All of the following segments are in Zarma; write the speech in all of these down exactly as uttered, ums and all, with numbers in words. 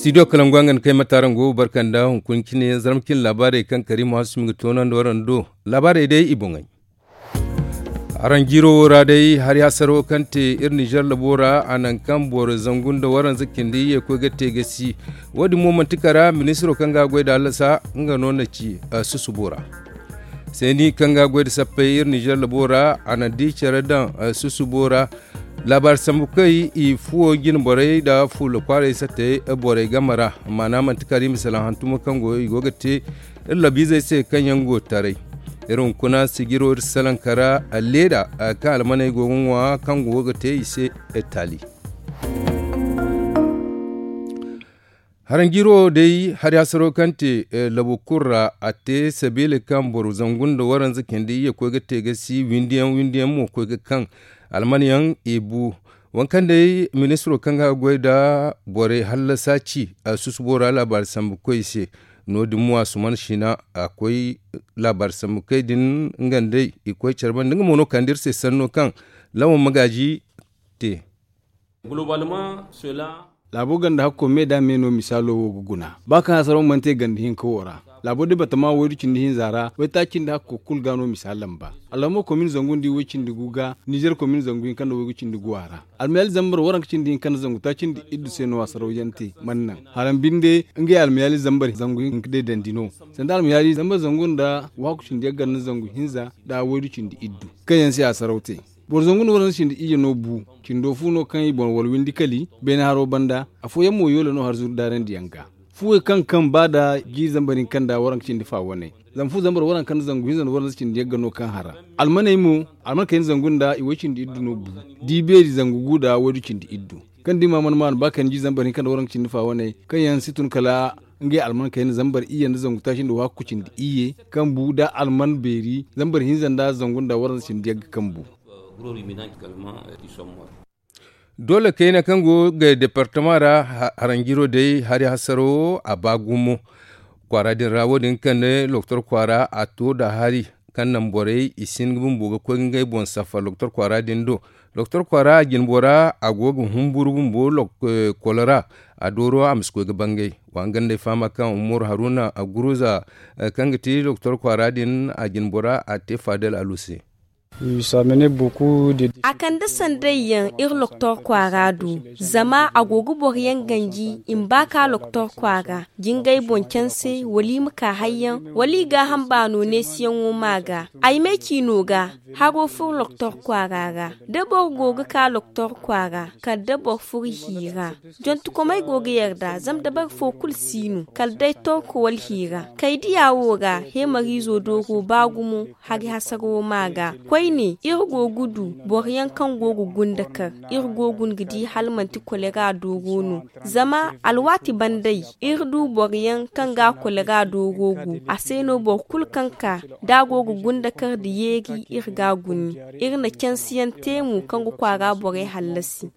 Studio kalangu a ga ni kay matarango barka nda hunkuna cine zarma cine laabaarey kaŋ kariima hasumi ga toonandi waraŋ do. Laabaarey day i boŋey. Araŋ jiiro wo ra day hari hasaro kaŋ te iri nizer labo ra a naŋ kaŋ boro zangu nda waranza cindi iyye koy ga te ga si. Wo- din mo manti kara ministiro kaŋ ga a goy nda hallasa nga no na ci susubo ra. Seeni kaŋ ga a goy nda sappey iri nizer labo ra a na di care daŋ susubo ra. Laabaari sambu kay i fuwo jine borey nda fuula kwaarey satte borey game ra. Maana manti kara i ma salaŋ hantumo kaŋ go i go ga te iri labiizey se kaŋ yaŋ go taray. Iri hunkuna sijiro iri salaŋ kara alleeda kaŋ almaney go ga ŋwa kaŋ go ga te i se taali. Haranjiro day hari hasaro kaŋ te labu kulu ra a te sabiila kaŋ boro zangu nda waranza cindi iyye koy ga te ga si windiyaŋ windiyaŋ mo koy ga kaŋ almanyaŋ i bu. Waŋ kaŋ day ministiro kaŋ ga goy nda borey hallasa ci susubo ra laabaari sambu koy se. No- din mo a suman sina a koy laabaari sambu kay din nga nd'ey i koy care banda nga mo no kande iri se sanno kaŋ lawan magaaji te. Laabo ganda hakko me da me no misaalo wo ga guna ba kaŋ hasaraw mana te ganda hinka wo ra. Laabo departama waydu cindi hinza ra waytaaci nda hakko kulu ga no misaal lamba. Alhamo komin zangu nda i way cindi gu ga nizer komin zangu hinka nda waygu cindi gu a ra. Almayaali zambar waranka cindi hinka nda zangu taaci nda iddu se no hasaraw yaŋ te mana naŋ haraŋ binde ngey almayaali zambar zangu hinka day dandi no. Sanda almayaali zambar zangu nda wahakku cindi yaŋ ganda zangu hinza nda waydu cindi iddu kaŋ yaŋ se hasaraw te. Boro zangu nda waranza cindi iyye no bu cindo fu no kaŋ i boŋ wala windi kali beene haro banda. Afooyaŋ mo yoola no har zuru daarandiyaŋ ga. Fuwey kaŋ kaŋ ba nda jiiri zambar hinka nda waranka cindi fa wane. Zama fu zambar waranka nda zangu hinza nda waranza cindi yagga no kaŋ hara. Almaney mo alman kayna zangu nda i way cindi iddu no bu. Di beeri zangu gu nda waydu cindi iddu kaŋ di ma mana maanu ba kayna jiiri zambar hinka nda waranka cindi fa wane kaŋ yaŋ si tun kala ngey alman kayna zambar iyye nda zangu taaci nda wahakku cindi iyye kaŋ bu nda alman beeri zambar hinza nda zangu nda waranza cindi yagga kaŋ bu. Doole kayna kaŋ go ga departama ra haranjiro day hari hasaro a ba gumo kwaara din ra wo- din kaŋ ne loktor kwaara a to nda hari kaŋ naŋ borey i si hin ga bumbo ga koy ga ngey boŋ safar loktor kwaara din do. Loktor kwaara a jinbo ra a go ga humburu bumbo kolora a dooro a ma si koy ga bangay. Wa hangan day fahama kaŋ umaru haruna a guruza kaŋ ga ti loktor kwaara din a jinbo ra a te fadel alu se. A kande sanday yaŋ iri loktor kwaara do zama a go ga boro yaŋ ganji i ma ba ka loktor kwaara jingay boŋ canse wala i ma ka hayyaŋ wala i gaaham baano neesiyaŋo ma ga ay me ciino ga haro furo loktor kwaara ra da boro go ga ka loktor kwaara kala da boro furo hiira. Jontukomey go ga yarda zama dabari fo kulu si no kala day torko wala hiira kay diya wo ra heemariizo dooro ba gumo. Hari hasaro ma ga koyne iri go ga du boro yaŋ kaŋ go ga gunda kar iri go ga guna ga di hala manti kolera dooro no. Zama alwaati banday iri du boro yaŋ kaŋ ga kolera dooro go a se no boro kulu kaŋ ka da a go ga gunda kar nda yeeri iri ga a guna. Iri na cansiyaŋ te mo kaŋ ga kwaara borey hallasi.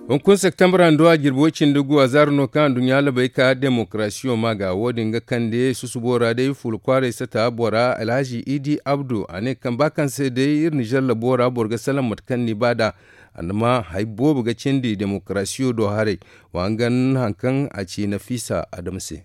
Hunkuna septembra nda a jirbi way cindi gu a zaara no kaŋ anduɲɲa labay ka demokarasiyo ma ga wo- din ga kande susubo ra day fuula kwaaray sata bora alhazi idi abdu a ne kaŋ ba kaŋ se day iri nizer labo ra boro ga salaŋ mate kaŋ ni ba nd'a. Andama hari boobo ga cindi demokarasiyo do haray. Wa hangan hari kaŋ a ci nafisa adama se.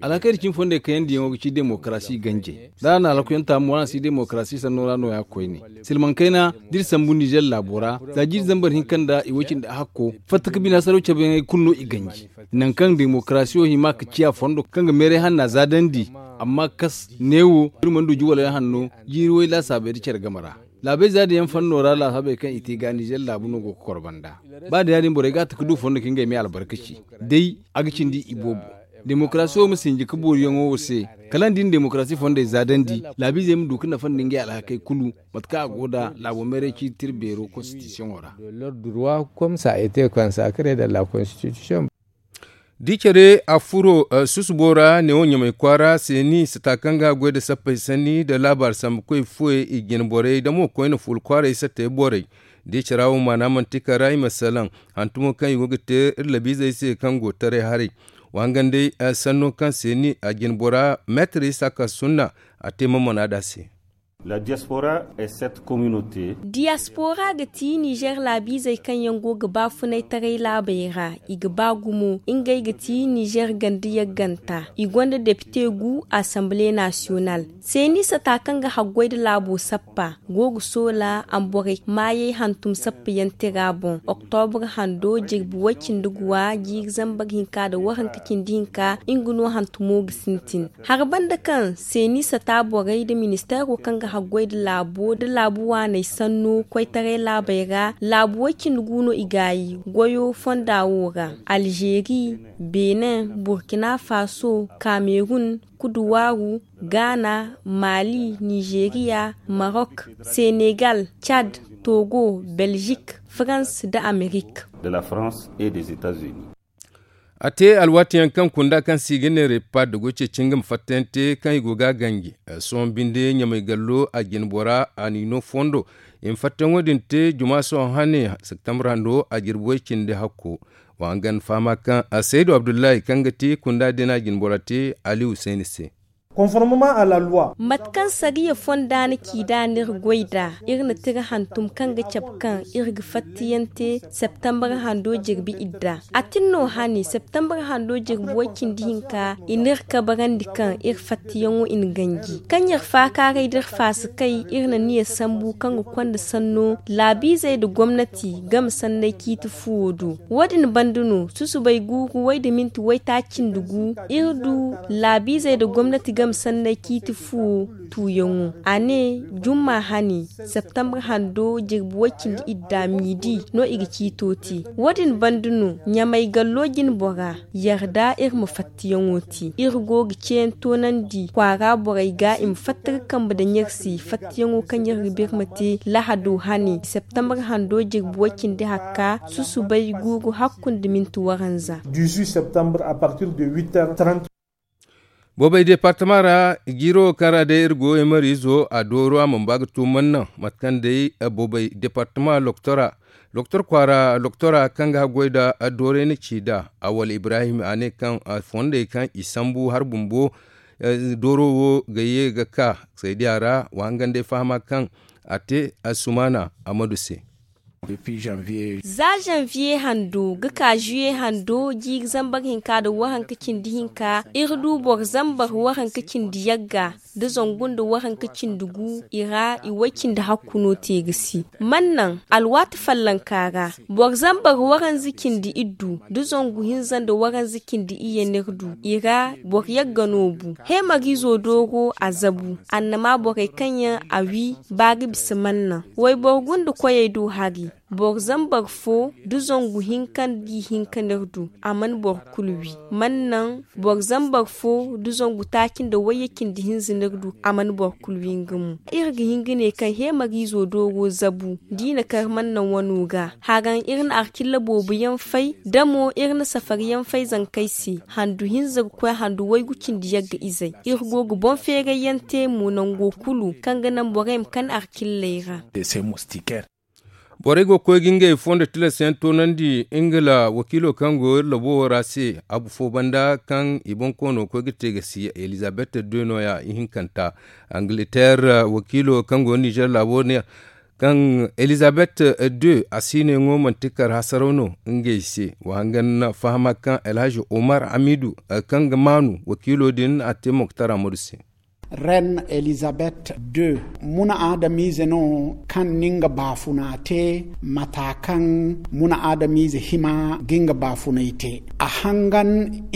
Alhakey da cimi fondey kayandi yaŋo ga ci demokarasi ganjey da a na alhakuyaŋ taamu waraŋ si demokarasi sanno ra nooya koyne. Silmaŋ kayna da iri sambu nizer laabo ra za jiiri zambar hinka nda i way cindi ahakko fatta ka bine hasaraw cabe yaŋey kulu no i ganji. Nangu kaŋ demokarasiyo hima ka ciya fondo kaŋ ga meeray hanna zaadandi. Amma kas neewo iri mana du juwaloyaŋ hanno jiiri way laasaabey da care game ra. Laabey za din yaŋ fanno ra laasaabey kaŋ i te ga nizer laabu no go ga koro banda. Ba da ya- din borey ga a ta ga du fondo ka ngey me albarkaci. Day a ga cindi i boobo. Demokarasiyo ma sinji ka booriyaŋo wo se kala ni di na demokarasi fondey zaadandi laabiizey ma du ka nafa nda ngey alhakey kulu. Mate kaŋ a go nd'a laabo meeray ciiti iri beero konstitisiyoŋo ra. Da i care a furo susubo ra neewo ɲamay kwaara seeni sata kaŋ ga a goy nda sappey sanni nda laabaari sambu koy fuwey i jine borey da mo koyne fuula kwaaray sattey borey. Da i care a wo maana manti kara i ma salaŋ hantumo kaŋ i go ga te iri labiizey se kaŋ go taray haray. Wa hangan day sanno kaŋ seeni a jine bora meetir isa ka sunna a te mamana nd'a se. La diaspora est cette communauté. Diyaspora ga ti nizer laabiizey kaŋ yaŋ go ga baafunay taray laabey ra. I ga ba gumo ngey ga ti nizer ganda yagganta. I gonda depite gu asambile nasiyonal. Seeni sata kaŋ ga haggoy nda laabo sappa go ga soola a ma borey maayey hantum sappa yaŋ tira boŋ. Oktobra hando jirbi way cindi guwa jiiri zambar hinka nda waranka cindi hinka nga no hantumo ga sintin. Hari banda kaŋ seeni sata borey nda ministeero kaŋ ga haggoy nda laabo nda laabu waaney sanno koytaray laabey ra laabu way cindi gu no i gaayi goyo fonda wo ra. Alzeeri, benin, burkina faso, kamerun, kuduwaaru, gaana, mali, nizeriya, marok, senegal, cad, togo, belzik, farans nda amerik. De la france et des etats-unis. A te alwaati yaŋ kaŋ kunda kaŋ se i ga ne repad go ceeci nga ma fatta yaŋ te kaŋ i go ga a ganji. Sohõ binde ɲamay gallo a jine bora a n'i no fondo. I ma fatta yaŋo din te juma sohõ hane septembre hando a jirbi way cindi hakko. Wa hangan fahama kaŋ a saydu abdullahi kaŋ ga ti kunda din a jine bora te ali husayni se. Mate kaŋ sariya fonda na ci nd'a no iri goy nd'a. Iri na tira hantum kaŋ ga cabe kaŋ iri ga fatta yaŋ te septembre hando jirbi idda. A tin no hane septembre hando jirbi way cindi hinka i n'iri kabarandi kaŋ iri fattayaŋo i na ganji kaŋ iri faakaaray d'iri faasikay iri na niya sambu kaŋ ga konda sanno laabiizey nda gomnati game sanney ciiti fuwo do. Wo- din banda no susubay guuru way nda minti waytaaci nda gu iri du laabiizey nda gomnati game sanney ciiti fuwo tuuyaŋo. A ne jumma hane septembre hando jirbi way cindi idda miidi no i ga ciito te. Wo- din banda no ɲamay gallo jine bora yarda iri ma fattayaŋo te iri go ga ceeyaŋ toonandi kwaara borey ga i ma fatta ga kambe daŋ iri se fattayaŋo kaŋ iri ga birma te lahado hane septembre hando jirbi way cindi hakka susubay guuru hakku nda minti waranza. Dix-huit septembre à partir de huit heures trente. Boobay departama ra jiiro kaŋ ra day iri go emariizo a dooro a mana ba ga tuuman naŋ mate kaŋ day boobay departama loktora loktor kwaara loktora kaŋ ga haggoy nda doorey na ci nd'a. Awal ibrahim a ne kaŋ fondey kaŋ i sambu hari bumbo dooro wo ga ye ga ka saydiya ra wa hangan day fahama kaŋ a te a sumaana amadu se. Za zanviye hando ga ka zuye hando jiiri zambar hinka nda waranka cindi hinka iri du boro zambar waranka cindi yagga nda zangu nda waranka cindi gu i ra i way cindi hakku no te ga si. Man naŋ alwaati fallanka ra boro zambar waranza cindi iddu nda zangu hinza nda waranza cindi iyye n'iri du i ra boro yagga no bu heemariizo dooro a zabu annama borey kaŋ yaŋ a wi ba ga bisa man naŋ wayboro gunda koyey do hari boro zambar fo nda zangu hinka nda ihinka n'iri du a mana boro kulu wi man naŋ boro zambar fo nda zangu taaci nda wayye cindi hinza n'iri du a mana boro kulu wi nga mo. Iri ga hin ga ne kaŋ heemariizo dooro zabu da i na kar man naŋ wano ga haraŋ iri na arkilla boobo yaŋ fay da mo iri na safari yaŋ fay zankey se handu hinza ga koy handu waygu cindi yagga izey iri go ga boŋ feeray yaŋ te mo nango kulu kaŋ ga naŋ borey ma kande arkilley ra. Borey go ga koy ga ngey fondo tilas yaŋ toonandi ingila wakiilo kaŋ go iri labo wo ra se abu fo banda kaŋ i boŋ koono ga koy ga te ga si elizabeth de no- ya ihinkanta. Angleterre wakiilo kaŋ go nizer laabo ne kaŋ elizabeth de a si ne ŋo manti kar hasaraw no ngey se. Wa hangan fahama kaŋ alhaji omar hamidu kaŋ ga maanu wakiilo din a te moktar amadu se. Reine elizabeth deux muna adamize no kaŋ na nga baafuna te mata kaŋ muna adamize hima ga nga baafunay te a hangan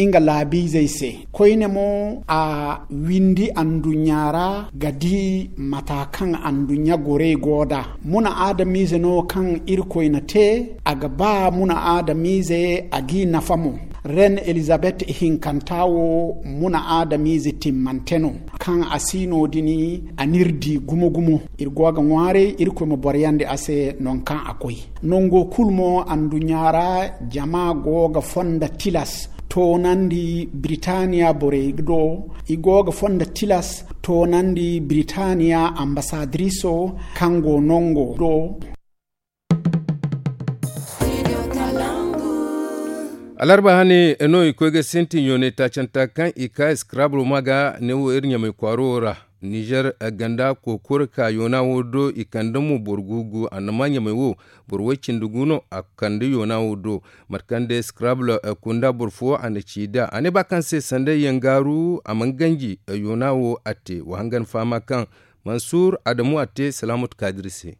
nga laabiizey se koyne mo a windi anduɲɲa ra ga di mata kaŋ anduɲɲa gorey go nd'a. Muna adamize no kaŋ irkoy na te a ga ba muna adamize a g'i nafa mo. Reine elizabeth ihinkanta wo muna adamize timmante no kaŋ a si no- din a n'iri di gumo-gumo. Iri go ga ŋwaaray irkoy ma boroyandi a se nangu kaŋ a koy. Nango kulu mo anduɲɲa ra jama go ga fonda tilas toonandi biritaniya borey do. I go ga fonda tilas toonandi biritaniya ambasadiriso kaŋ go nango do. Alarba hane no i koy ga sintin yoonay taacanta kaŋ i ka scrabble ma ga ne wo iri ɲamay kwaaro wo ra. Nizer ganda kookoro ka yoona wo do i kande mo boro guugu annama ɲamey wo boro way-cindi gu no a kande yoona wo do. Mate kaŋ day scrabble kunda boro fo a na ci nd'a a ne ba kaŋ se sanda yangaaru a mana ganji yoona wo a te wa hangan fahama kaŋ mansuur adamu a te salaamatu kaadiri se.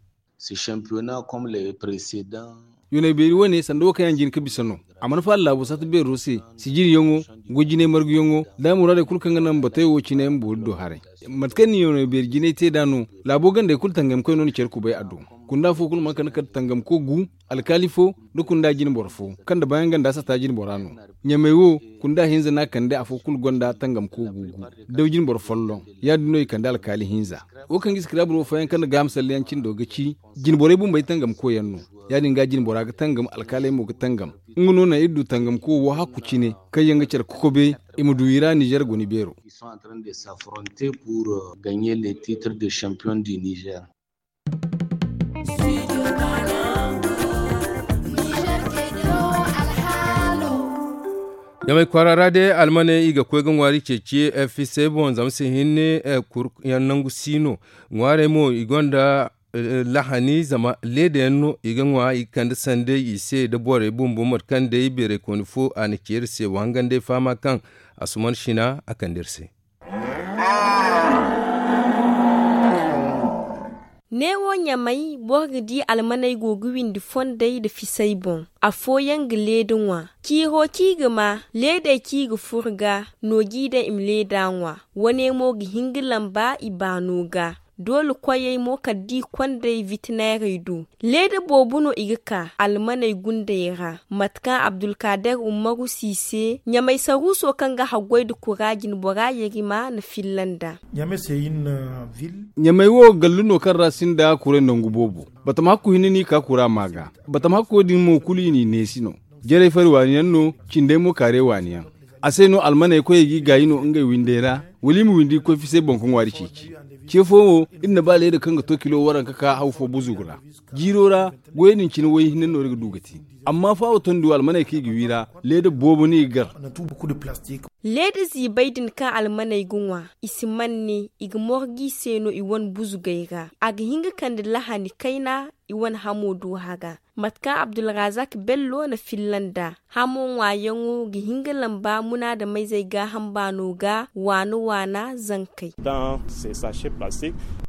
Yoonay beeri wane sanda wo kaŋ yaŋ jin ka bisa no. A mana faala laabo saata beero se sijiriyaŋo goy jinay marguyaŋo da muraadey kulu kaŋ ga naŋ batey wo cine ma boori do haray. Mate kaŋ ni yoonay beeri jinay te nd'a no laabo gandey kulu tangamkoy no na care kubay a do. Kunda fo kulu mana kande kala tangamko gu alkaali fo nda kunda jine boro fo kaŋ nda baayaŋ ganda sata jine bora no. Ɲamey wo kunda hinza no a kande afo kulu gonda tangamko gu gu daw jine boro folloŋ. Ya- din no i kande alkaali hinza. Wo kaŋ ga i sikirabur wo fooyaŋ kaŋ nda gaaham salleyaŋ cindo ga ci jine borey bumbey tangamkoyaŋ no. Ya- din ga jine bora ga tangam alkaaley mo ga tangam. Nga no naŋ iri du tangamko wo hakku cine kaŋ yaŋ ga care kokobe i ma du i ra nizer goni beero. Ɲamey kwaara ra day almaney i ga koy ga ŋwaari ceeci fisey boŋ zama se hinne kuryaŋ nangu si no. Ŋwaarey mo i gonda lahani zama leeda yaŋ no i ga ŋwa i ga kande sanday i se nda borey bumbo mate kaŋ day beerey kooni fo a na ci iri se wa hangan day fahama kaŋ asuman sina a kande iri se. Neewo ɲamey boro ga di almaney go ga windi fondey nda fisey boŋ. Afooyaŋ ga leeda ŋwa ciiro kaŋ i ga ma leedey kaŋ i ga furo ga no g'i daŋ i ma leeda ŋwa. Wane mo ga hin ga lamba i baano ga doole koyey mo kala da i kond'ey witineerey do. Leeda boobo no i ga ka almaney gundey ra mate kaŋ abdulkaader ummaru si se ɲamay saruuso kaŋ ga haggoy nda kura jinbora yerima na filla nd'a. Ɲamay wo gallu no kaŋ ra sinda kuray nangu boobo. Batama hakku hinne no i ka kura ma ga. Batama hakko din mo kulu i n'i neesi no. Jarey fari waani yaŋ no cindey mo kaarey waani yaŋ. A se no almaney koyey g'i gaayi no ngey windey ra wala i ma windi ga koy fisey boŋ ga ŋwaari ceeci. Ce fo wo iri na ba leeda kaŋ ga to kilo waranka ka haw fo buzugu ra. Jiiro ra goyey din cine way hinne no iri ga du ga te. Amma faawo tondi wo almaney kaŋ i ga wi ra leeda boobo no i ga gar. Leeda ziibey din kaŋ almaney ga ŋwa i si manne i ga morgu i se no i wane buzugey ra. A ga hin ga kande lahani kayna i wane hamo do haga. Mate kaŋ abdulrazak bello na filla nd'a hamo ŋwaayaŋo ga hin ga lamba munaadameyzey gaaham baano ga waana waana zankey.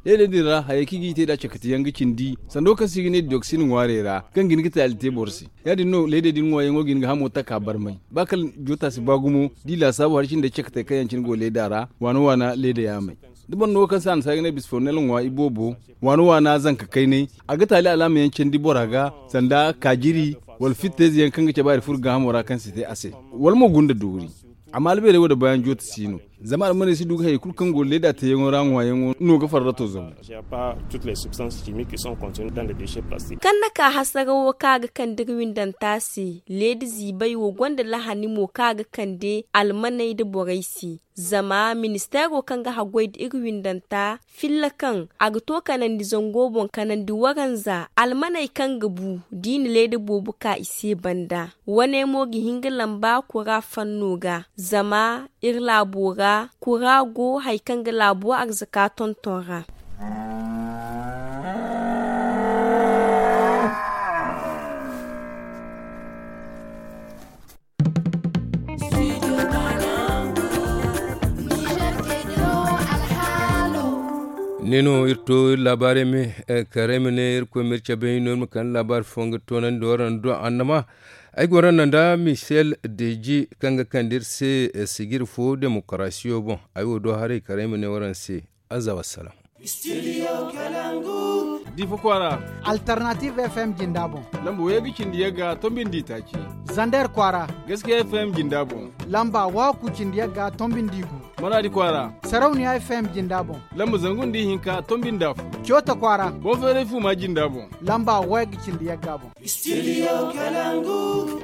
Leedey din ra hayey kaŋ i g'i te nd'a cakatiyaŋ ga cindi sanda wo kaŋ se i ga ne diyoksin ŋwaarey ra kaŋ ga hin ga taali te boro se. Ya- din no leedey din ŋwaayaŋo ga hin ga hamo taka barmay ba kala joota si ba gumo da i laasaabu hari cindey cakatey kaŋ yaŋ cine go leeda ra waana waana leeda yaamey. Da boro no wo kaŋ se a na si ay ga ne bisfonnel ŋwa iboobo waana waana zanka kaynay a ga taali alaama yaŋ candi bora ga sanda kaajiri wala fittayze yaŋ kaŋ ga cabe hari furo gaahamo ra kaŋ si te a se wala mo gunda doori. Amma albeerey wo da baayaŋ jooti si no zama almaney si du ga hayey kulu kaŋ go leeda teeyaŋo ra ŋwaayaŋo no ga farrato zabu. Kaŋ na ka hasara wo kaŋ a ga kande iri windanta se leeda ziibay wo gonda lahani mo kaŋ a ga kande almaney nda borey se. Zama ministeero kaŋ ga haggoy nda iri windanta filla kaŋ a ga to kanandi zango boŋ kanandi waranza almaney kaŋ ga bu da i na leeda boobo ka i se banda. Wane mo ga hin ga lamba kura fanno ga zama iri laabo ra kura go hari kaŋ ga laabo arzaka tonton ra. Ne no iri to iri laabaarey me karay ma ne irkoy ma iri cabe no iri ma kande laabaari fo nga toonandi waraŋ do annama. Ay goro no nda michel deji kaŋ ga kande iri se sijiri fo demokarasiyo boŋ. Ay wo do haray karay ma ne waraŋ se. Azza wassalam. Difa kwaara. Alternative F M jinda boŋ. Lamba wayga cindi yagga tombindi taaci. Zander kwaara. Gaskiya F M jinda boŋ. Lamba waku cindi yagga tombindi gu. Maradi kwaara. Sarauniya F M jinda boŋ. Lamba zangu nda ihinka tombindi afo. Cota kwaara. Bonferey fuma jinda boŋ. Lamba wayga cindi yagga boŋ. Studio Kalangu.